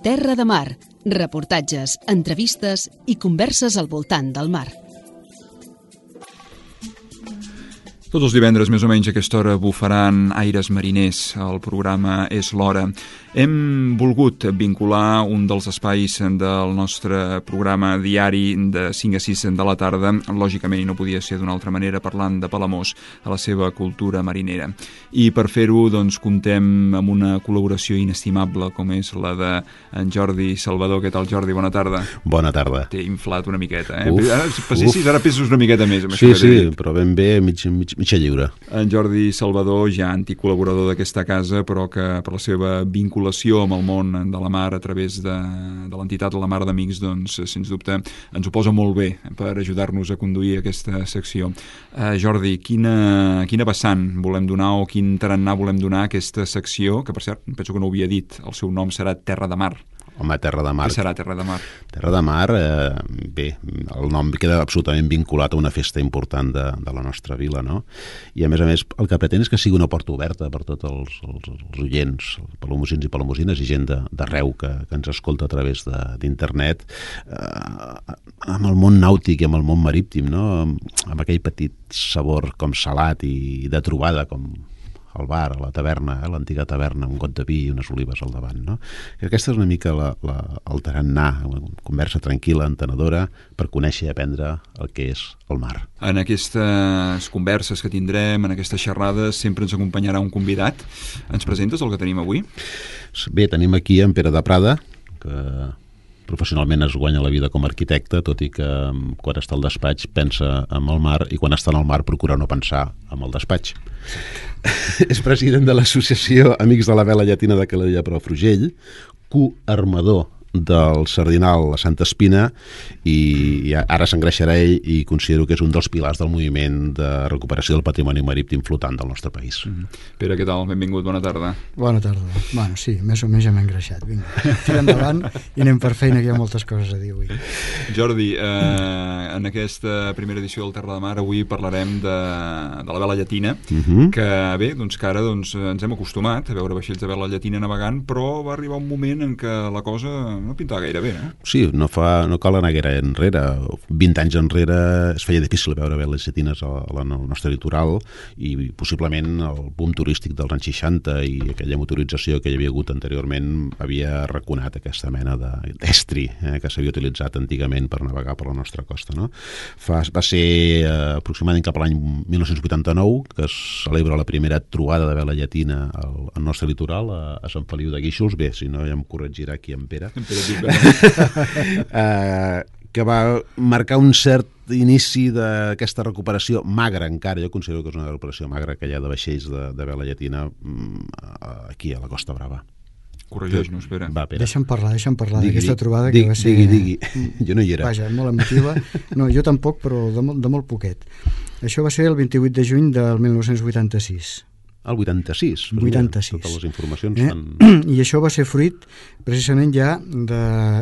Terra de Mar, reportatges, entrevistes i converses al voltant del mar. Tots els divendres, més o menys, a aquesta hora bufaran aires mariners. El programa És l'Hora. Hem volgut vincular un dels espais del nostre programa diari de 5 a 6 de la tarda, lògicament, i no podia ser d'una altra manera, parlant de Palamós, a la seva cultura marinera. I per fer-ho, doncs, comptem amb una col·laboració inestimable, com és la d'en Jordi Salvador. Què tal, Jordi? Bona tarda. Bona tarda. T'he inflat una miqueta, eh? Ara peses una miqueta més. Sí, però ben bé, mitja lliure. En Jordi Salvador, ja antic col·laborador d'aquesta casa, però que per la seva vinculació amb el món de la mar a través de l'entitat La Mar d'Amics, doncs, sens dubte, ens ho posa molt bé per ajudar-nos a conduir aquesta secció. Jordi, quina vessant volem donar o quin tarannà volem donar a aquesta secció, que per cert, penso que no ho havia dit, el seu nom serà Terra de Mar. Home, Terra de Mar. Què serà Terra de Mar? Terra de Mar, bé, el nom queda absolutament vinculat a una festa important de la nostra vila, no? I a més, el que pretén és que sigui una porta oberta per tots els oients, palamosins i palamosines i gent d'arreu que ens escolta a través d'internet, amb el món nàutic i amb el món marítim, no? Amb aquell petit sabor com salat i de trobada, com al bar, a la taverna, l'antiga taverna, un got de vi i unes olives al davant, no? I aquesta és una mica el tarannà, una conversa tranquil·la, entenedora, per conèixer i aprendre el que és el mar. En aquestes converses que tindrem, en aquestes xerrades, sempre ens acompanyarà un convidat. Ens presentes el que tenim avui? Bé, tenim aquí en Pere de Prada, que professionalment es guanya la vida com a arquitecte, tot i que quan està al despatx pensa en el mar i quan està en el mar procura no pensar en el despatx. És president de l'associació Amics de la Vela Llatina de Calella Palafrugell, coarmador del Sardinal a Santa Espina, i ara s'engreixarà ell, i considero que és un dels pilars del moviment de recuperació del patrimoni marítim flotant del nostre país. Pere, què tal? Benvingut, bona tarda. Bona tarda. Bueno, sí, més o menys ja m'he engreixat. Vinga, tira endavant i anem per feina, que hi ha moltes coses a dir avui. Jordi, en aquesta primera edició del Terra de Mar avui parlarem de la vela llatina, que bé, doncs que ara ens hem acostumat a veure vaixells de vela llatina navegant, però va arribar un moment en què la cosa no pintava gaire bé, eh? Sí, no cal anar gaire enrere. 20 anys enrere es feia difícil veure veles llatines al nostre litoral, i possiblement el boom turístic dels anys 60 i aquella motorització que hi havia hagut anteriorment havia arraconat aquesta mena d'estri que s'havia utilitzat antigament per navegar per la nostra costa, no? Va ser aproximadament cap a l'any 1989 que es celebra la primera trobada de vela llatina al nostre litoral, a Sant Feliu de Guíxols. Bé, si no ja em corregirà aquí en Pere. Que va marcar un cert inici d'aquesta recuperació magra encara. Jo considero que és una recuperació magra que hi ha de vaixells de vela llatina aquí a la Costa Brava. Corregeix-nos, Pere. Va, Pere. Deixa'm parlar d'aquesta trobada que va ser... Digui. Jo no hi era. Vaja, molt emotiva. No, jo tampoc, però de molt poquet. Això va ser el 28 de juny del 1986. El 86. 86. Totes les informacions estan... I això va ser fruit precisament ja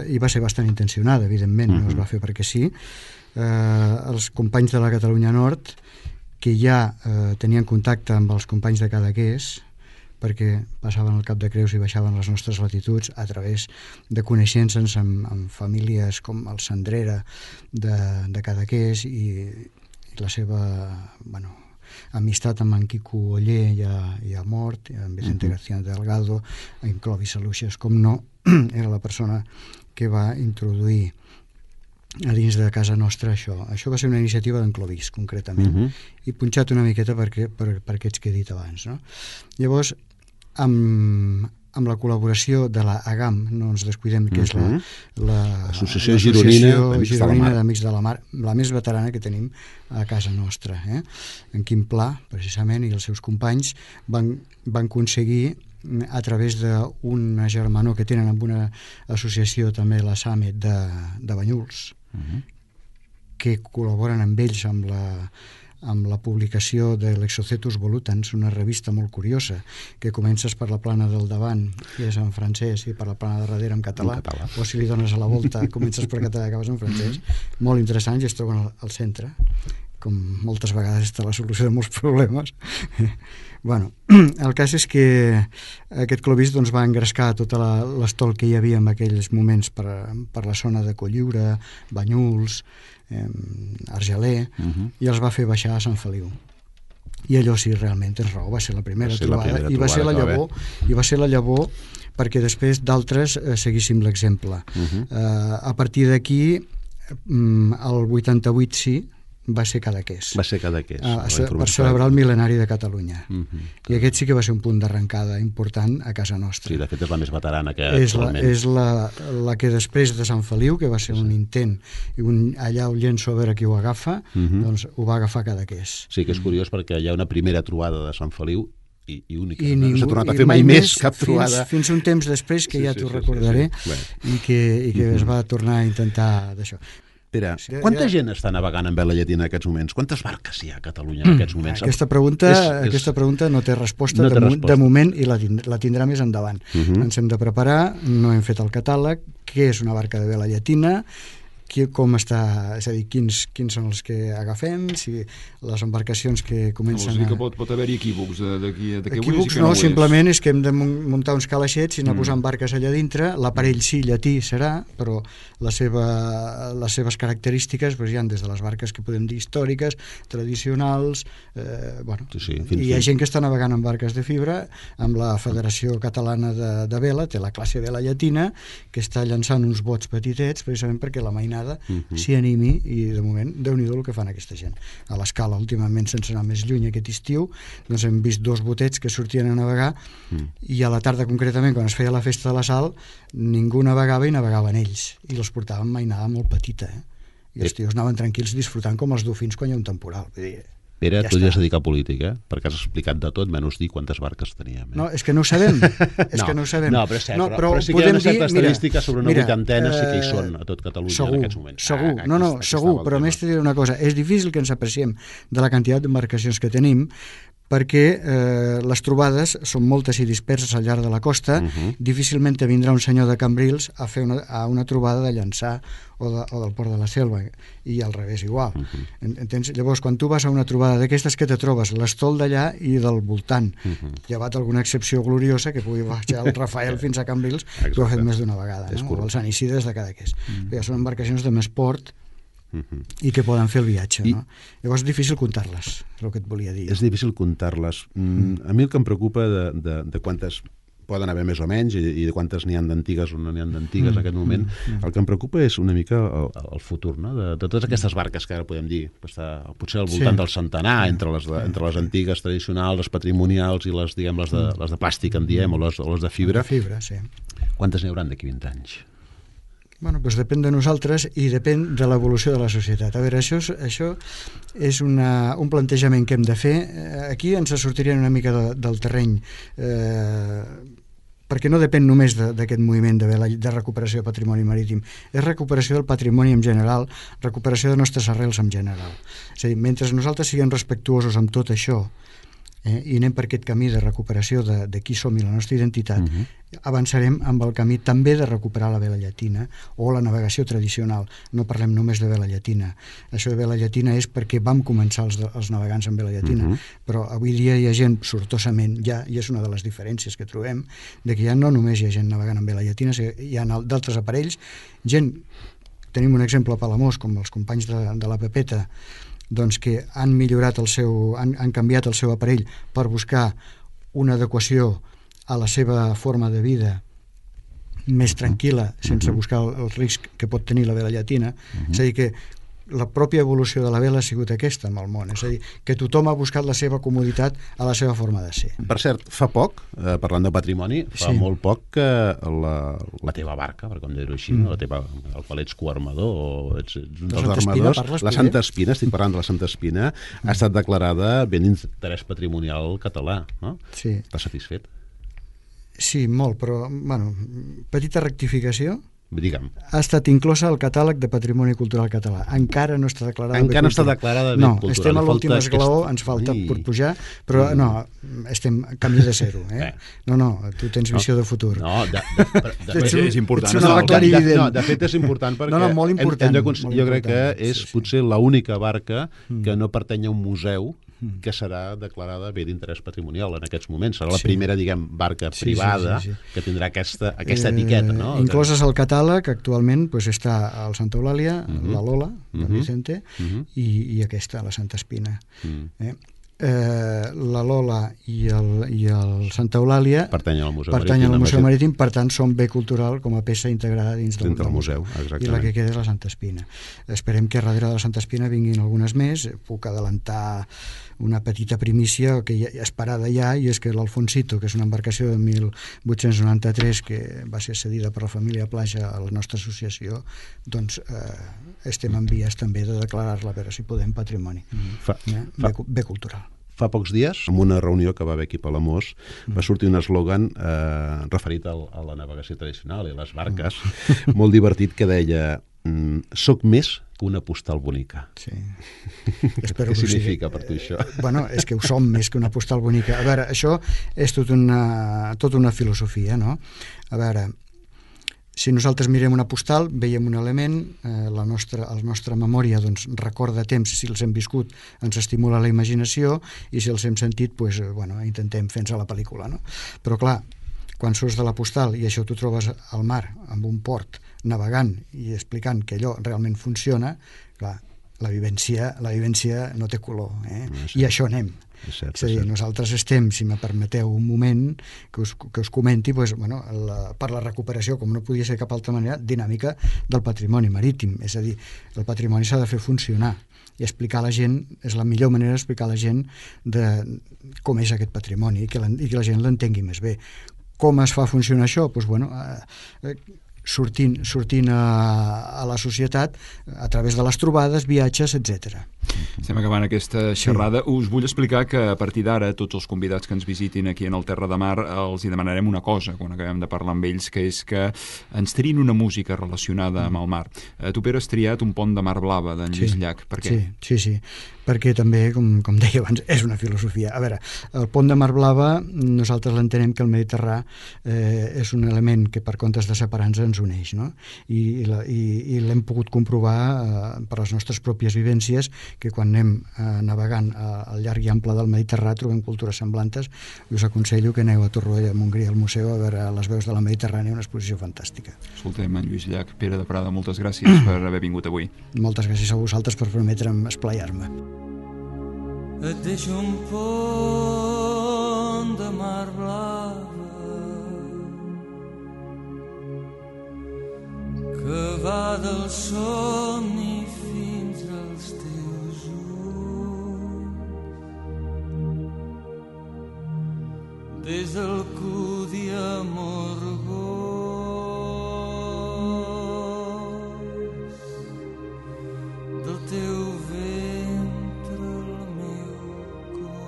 i va ser bastant intencionada, evidentment, no es va fer perquè sí. Els companys de la Catalunya Nord, que ja tenien contacte amb els companys de Cadaqués, perquè passaven el Cap de Creus i baixaven les nostres latituds a través de coneixences amb famílies com el Sandrera de Cadaqués i la seva... amistat amb en Quico Oller ja mort, amb Vicente García Delgado, en Clovis Aluixes, com no, era la persona que va introduir a dins de casa nostra això. Això va ser una iniciativa d'en Clovis, concretament, i punxat una miqueta per aquests que he dit abans, no? Llavors, amb la col·laboració de la AGAM, no ens descuidem, que és l'Associació Gironina d'Amics de la Mar, la més veterana que tenim a casa nostra. En Quim Pla, precisament, i els seus companys van aconseguir, a través d'una germanor que tenen amb una associació també, la SAMET de Banyuls, que col·laboren amb ells amb la publicació de l'Exocetus Volutans, una revista molt curiosa, que comences per la plana del davant, que és en francès, i per la plana de darrere en català, o si li dones a la volta, comences per català i acabes en francès, molt interessants, i es troben al centre, com moltes vegades està la solució de molts problemes. Bueno, el cas és que aquest Clovis doncs, va engrescar tota l'estol que hi havia en aquells moments per la zona de Cotlliure, Banyuls, Argelers, i els va fer baixar a Sant Feliu. I allò sí, realment tens raó, va ser la primera trobada i va ser la llavor perquè després d'altres seguíssim l'exemple. A partir d'aquí, el 88 sí, va ser Cadaqués. Va ser Cadaqués. Per celebrar el mil·lenari de Catalunya. I aquest sí que va ser un punt d'arrencada important a casa nostra. Sí, de fet és la més veterana que actualment. És la que després de Sant Feliu, que va ser un intent, i allà el llenço a veure qui ho agafa, doncs ho va agafar Cadaqués. Sí, que és curiós perquè hi ha una primera trobada de Sant Feliu i única. No s'ha tornat a fer mai més cap trobada. Fins un temps després, que ja t'ho recordaré, i que es va tornar a intentar d'això. Espera, quanta gent està navegant en vela llatina en aquests moments? Quantes barques hi ha a Catalunya en aquests moments? Aquesta pregunta no té resposta de moment i la tindrà més endavant. Ens hem de preparar, no hem fet el catàleg, què és una barca de vela llatina, com està, és a dir, quins són els que agafem, si les embarcacions que comencen a... Vols dir que pot haver-hi equívocs de què equívocs no, simplement és que hem de muntar uns calaixets i anar posant barques allà dintre, l'aparell sí, llatí serà, però les seves característiques hi ha des de les barques que podem dir històriques, tradicionals, i hi ha gent que està navegant en barques de fibra, amb la Federació Catalana de Vela, té la classe vela llatina, que està llançant uns bots petitets, precisament perquè la mainada s'hi animi, i de moment Déu-n'hi-do el que fan aquesta gent. A l'Escala últimament, sense anar més lluny aquest estiu, doncs hem vist 2 botets que sortien a navegar i a la tarda concretament, quan es feia la festa de la Sal, ningú navegava i navegaven ells, i els portaven mainada molt petita, i els tios anaven tranquils disfrutant com els dofins quan hi ha un temporal. Vull dir, Pere, tu ja has dedicat a política, perquè has explicat de tot, menys dir quantes barques teníem. No, és que no ho sabem. No, però és cert, però sí que hi ha una certa estadística sobre una vuitantena sí que hi són a tot Catalunya en aquests moments. Segur, però a més t'he de dir una cosa, és difícil que ens apreciem de la quantitat d'embarcacions que tenim, perquè les trobades són moltes i disperses al llarg de la costa, difícilment te vindrà un senyor de Cambrils a fer una trobada de Llançà o del Port de la Selva, i al revés igual. Entens? Llavors, quan tu vas a una trobada d'aquestes, que te trobes? L'estol d'allà i del voltant, llevat alguna excepció gloriosa que pugui baixar el Rafael fins a Cambrils, que ho ha fet més d'una vegada, o el Sant Isidre des de Cadaqués. Ja són embarcacions de més port i que poden fer el viatge, no? Llavors és difícil comptar-les, és el que et volia dir. És difícil comptar-les. A mi el que em preocupa de quantes poden haver més o menys i de quantes n'hi ha d'antigues o no n'hi ha d'antigues en aquest moment, el que em preocupa és una mica el futur, no? De totes aquestes barques que ara podem dir, potser al voltant del centenar, entre les antigues tradicionals, les patrimonials i les de plàstic, en diem, o les de fibra. Quantes n'hi hauran d'aquí 20 anys? Bueno, doncs depèn de nosaltres i depèn de l'evolució de la societat. A veure, això és un plantejament que hem de fer. Aquí ens sortiria una mica del terreny, perquè no depèn només d'aquest moviment de recuperació de patrimoni marítim, és recuperació del patrimoni en general, recuperació de nostres arrels en general. És a dir, mentre nosaltres siguem respectuosos amb tot això, i anem per aquest camí de recuperació de qui som i la nostra identitat, avançarem amb el camí també de recuperar la vela llatina o la navegació tradicional. No parlem només de vela llatina. Això de vela llatina és perquè vam començar els navegants amb vela llatina, però avui dia hi ha gent sortosament, i és una de les diferències que trobem, de que ja no només hi ha gent navegant amb vela llatina, hi ha d'altres aparells, tenim un exemple a Palamós, com els companys de la Pepeta, doncs que han millorat han canviat el seu aparell per buscar una adequació a la seva forma de vida més tranquil·la, sense buscar el risc que pot tenir la vela llatina. És a dir, que la pròpia evolució de la vela ha sigut aquesta en el món, és a dir, que tothom ha buscat la seva comoditat a la seva forma de ser. Per cert, fa poc, parlant de patrimoni, fa molt poc que la teva barca, per com dir-ho així, el qual ets coarmador o ets un dels armadors, la Santa Espina, estic parlant de la Santa Espina, ha estat declarada bé d'interès patrimonial català, no? Sí. Estàs satisfet? Sí, molt, però, petita rectificació. Digue'm. Ha estat inclosa al catàleg de Patrimoni Cultural Català. Encara no està declarada Encara no està declarada bé cultural. No, estem a l'últim esglaó, ens falta per pujar, però no, estem camí de zero. No, tu tens visió de futur. No, és important. Ets una clarivident. No, de fet és important perquè molt important, jo crec que és potser l'única barca que no pertany a un museu que serà declarada bé d'interès patrimonial en aquests moments. Serà la primera, diguem, barca privada que tindrà aquesta etiqueta, no? Incloses al catàleg, actualment, està el Santa Eulàlia, la Lola, de Vicente, i aquesta, la Santa Espina. La Lola i el Santa Eulàlia pertanyen al Museu Marítim, per tant són bé cultural com a peça integrada dins del museu. I la que queda és la Santa Espina. Esperem que darrere de la Santa Espina vinguin algunes més. Puc adelantar una petita primícia que ja esperada ja, i és que l'Alfonsito, que és una embarcació de 1893 que va ser cedida per la família Plaja a la nostra associació, doncs estem en vies també de declarar-la, a veure si podem, patrimoni bé cultural. Fa pocs dies, en una reunió que va haver aquí a Palamós, va sortir un eslògan referit a la navegació tradicional i a les barques, molt divertit, que deia: soc més que una postal bonica. Sí. Què significa per tu això? Bueno, és que ho som més que una postal bonica. A veure, això és tot una filosofia, no? A veure, si nosaltres mirem una postal, veiem un element, la nostra memòria doncs, recorda temps, si els hem viscut ens estimula la imaginació, i si els hem sentit, intentem fer-nos a la pel·lícula, no? Però clar, quan surts de la postal i això t'ho trobes al mar, amb un port, navegant i explicant que allò realment funciona, clar, la vivència no té color, i a això anem. És a dir, nosaltres estem, si me permeteu un moment que us comenti, per la recuperació, com no podia ser cap altra manera, dinàmica del patrimoni marítim. És a dir, el patrimoni s'ha de fer funcionar, i explicar a la gent, és la millor manera d'explicar a la gent de com és aquest patrimoni i que la gent l'entengui més bé. Com es fa funcionar això? Sortint a la societat a través de les trobades, viatges, etc. Estem acabant aquesta xerrada. Us vull explicar que a partir d'ara tots els convidats que ens visitin aquí en el Terra de Mar els hi demanarem una cosa quan acabem de parlar amb ells, que és que ens triïn una música relacionada amb el mar. Tu, Pere, has triat un pont de mar blava d'en Lluís Llach. Per què? Sí, perquè també, com deia abans, és una filosofia. A veure, el pont de mar blava nosaltres l'entenem que el Mediterrà és un element que per comptes de separar-nos ens uneix, no? I l'hem pogut comprovar per les nostres pròpies vivències, que quan anem navegant al llarg i ample del Mediterrà trobem cultures semblantes. Us aconsello que aneu a Torroella de Montgrí al museu a veure les veus de la Mediterrània, una exposició fantàstica. Escoltem, en Lluís Llach. Pere de Prada, moltes gràcies per haver vingut avui. Moltes gràcies a vosaltres per permetre'm esplaiar-me. Et deixo un pont de mar blava que va del somni fins als teus ulls, des del cudi amorgós del teu ventre el meu cor.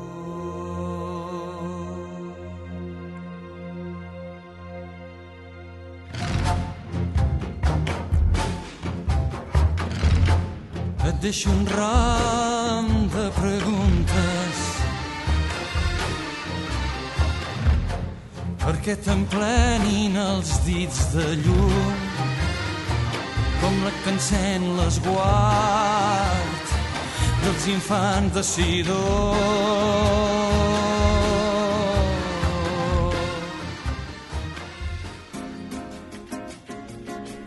Et deixo un ram de preguntes perquè t'emplenin els dits de llum com la que encén l'esguard dels infants de Sidó.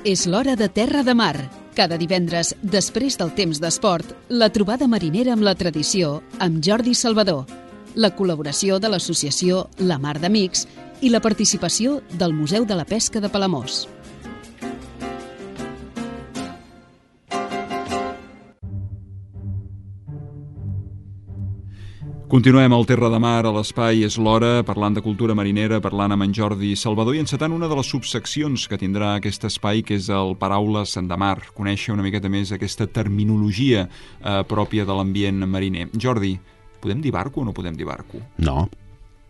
És l'hora de Terra de Mar. Cada divendres, després del temps d'esport, la trobada marinera amb la tradició amb Jordi Salvador, la col·laboració de l'associació La Mar d'Amics i la participació del Museu de la Pesca de Palamós. Continuem al Terra de Mar, a l'Espai És l'Hora, parlant de cultura marinera, parlant amb en Jordi Salvador i encetant una de les subseccions que tindrà aquest espai, que és el Paraules de Mar, conèixer una miqueta més aquesta terminologia pròpia de l'ambient mariner. Jordi, podem dir barco o no podem dir barco? No.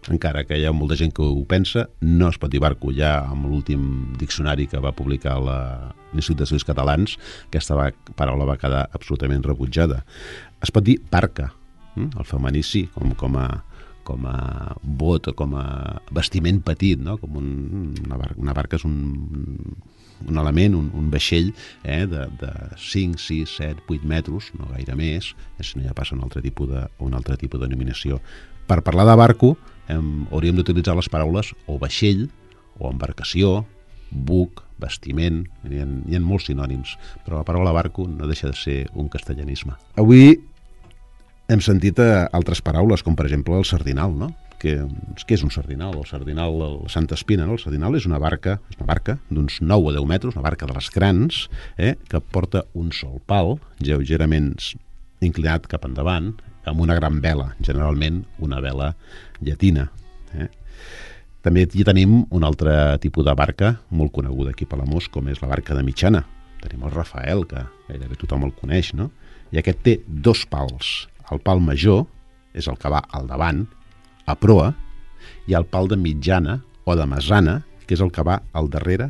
encara que hi ha molta gent que ho pensa, no es pot dir barco. Ja amb l'últim diccionari que va publicar l'Institut d'Estudis Catalans, aquesta paraula va quedar absolutament rebutjada. Es pot dir barca, el feminici, com a bot o com a vestiment petit, no? Com una barca és un element, un vaixell de 5, 6, 7, 8 metres, no gaire més, si no ja passa un altre tipus de denominació. Per parlar de barco hauríem d'utilitzar les paraules o vaixell, o embarcació, buc, vestiment, hi ha molts sinònims, però la paraula barco no deixa de ser un castellanisme. Avui hem sentit altres paraules, com per exemple el sardinal, no? Què és un sardinal? El sardinal del Santa Espina, no? El sardinal és una barca d'uns 9 o 10 metres, una barca de les grans, que porta un sol pal, lleugerament inclinat cap endavant, amb una gran vela, generalment una vela llatina. També hi tenim un altre tipus de barca molt coneguda aquí a Palamós, com és la barca de mitjana. Tenim el Rafael, que gairebé tothom el coneix, no? I aquest té 2 pals. El pal major és el que va al davant, a proa, i el pal de mitjana o de mesana, que és el que va al darrere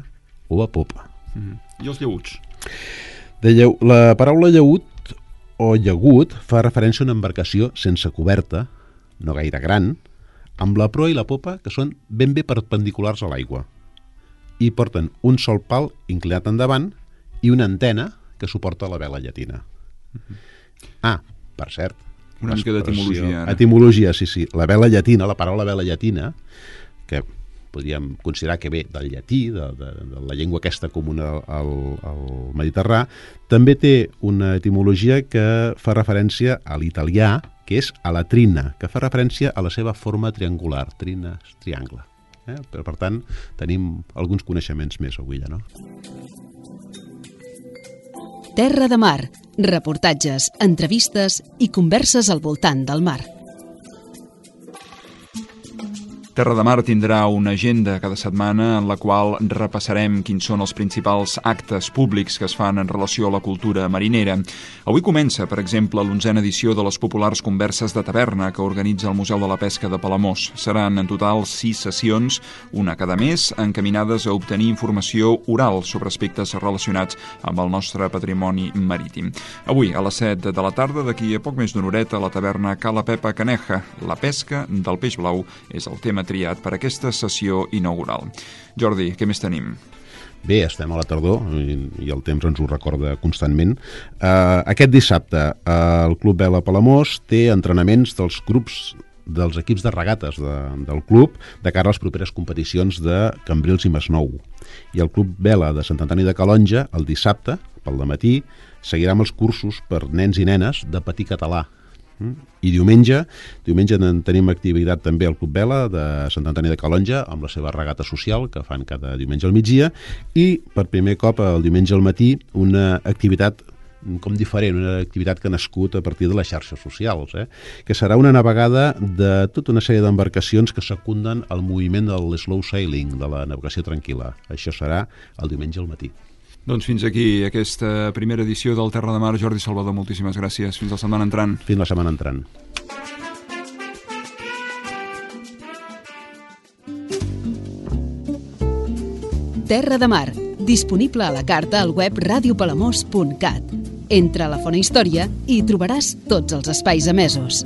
o a popa. I els llaüts? La paraula llaüt o llagut fa referència a una embarcació sense coberta, no gaire gran, amb la proa i la popa que són ben bé perpendiculars a l'aigua i porten un sol pal inclinat endavant i una antena que suporta la vela llatina. Per cert, una mica d'etimologia. Etimologia, sí. La vela llatina, la paraula vela llatina, que podríem considerar que ve del llatí, de la llengua aquesta comuna al Mediterrà, també té una etimologia que fa referència a l'italià, que és a la trina, que fa referència a la seva forma triangular. Trina és triangle. Però, per tant, tenim alguns coneixements més avui, no? Terra de mar, reportatges, entrevistes i converses al voltant del mar. Terra de Mar tindrà una agenda cada setmana en la qual repassarem quins són els principals actes públics que es fan en relació a la cultura marinera. Avui comença, per exemple, l'11a edició de les populars converses de taverna que organitza el Museu de la Pesca de Palamós. Seran en total 6 sessions, una cada mes, encaminades a obtenir informació oral sobre aspectes relacionats amb el nostre patrimoni marítim. Avui, a les 7 de la tarda, d'aquí a poc més d'una horeta, a la taverna Cala Pepa Caneja. La pesca del peix blau és el tema triat per aquesta sessió inaugural. Jordi, què més tenim? Bé, estem a la tardor i el temps ens ho recorda constantment. Aquest dissabte el Club Vela Palamós té entrenaments dels equips de regates del club de cara a les properes competicions de Cambrils i Masnou. I el Club Vela de Sant Antoni de Calonja, el dissabte, pel dematí, seguirà amb els cursos per nens i nenes de patí català. I diumenge tenim activitat també al Club Vela de Sant Antoni de Calonja amb la seva regata social que fan cada diumenge al migdia i per primer cop el diumenge al matí una activitat com diferent, una activitat que ha nascut a partir de les xarxes socials, que serà una navegada de tota una sèrie d'embarcacions que secunden el moviment del slow sailing, de la navegació tranquil·la. Això serà el diumenge al matí. Doncs fins aquí aquesta primera edició del Terra de Mar. Jordi Salvador, moltíssimes gràcies. Fins la setmana entrant. Fins la setmana entrant. Terra de Mar, disponible a la carta al web radiopalamós.cat. Entra a la Fona Història i hi trobaràs tots els espais emesos.